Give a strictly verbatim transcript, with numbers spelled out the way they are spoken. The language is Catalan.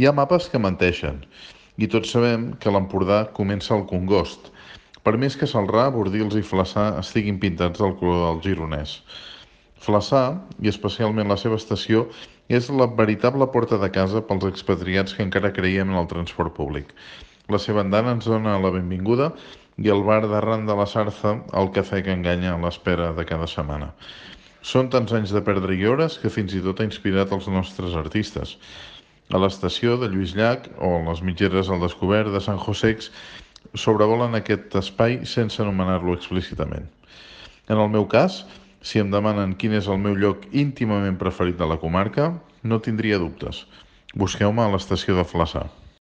Hi ha mapes que menteixen, i tots sabem que l'Empordà comença al Congost, per més que Celrà, Bordils i Flaçà estiguin pintats del color del gironès. Flaçà, i especialment la seva estació, és la veritable porta de casa pels expatriats que encara creiem en el transport públic. La seva andana ens dona la benvinguda i el bar d'arran de la Sarza el cafè que enganya a l'espera de cada setmana. Són tants anys de perdre i hores que fins i tot ha inspirat els nostres artistes. A l'estació de Lluís Llach o les mitgeres al descobert de Sant Josex sobrevolen aquest espai sense anomenar-lo explícitament. En el meu cas, si em demanen quin és el meu lloc íntimament preferit de la comarca, no tindria dubtes. Busqueu-me a l'estació de Flaçà.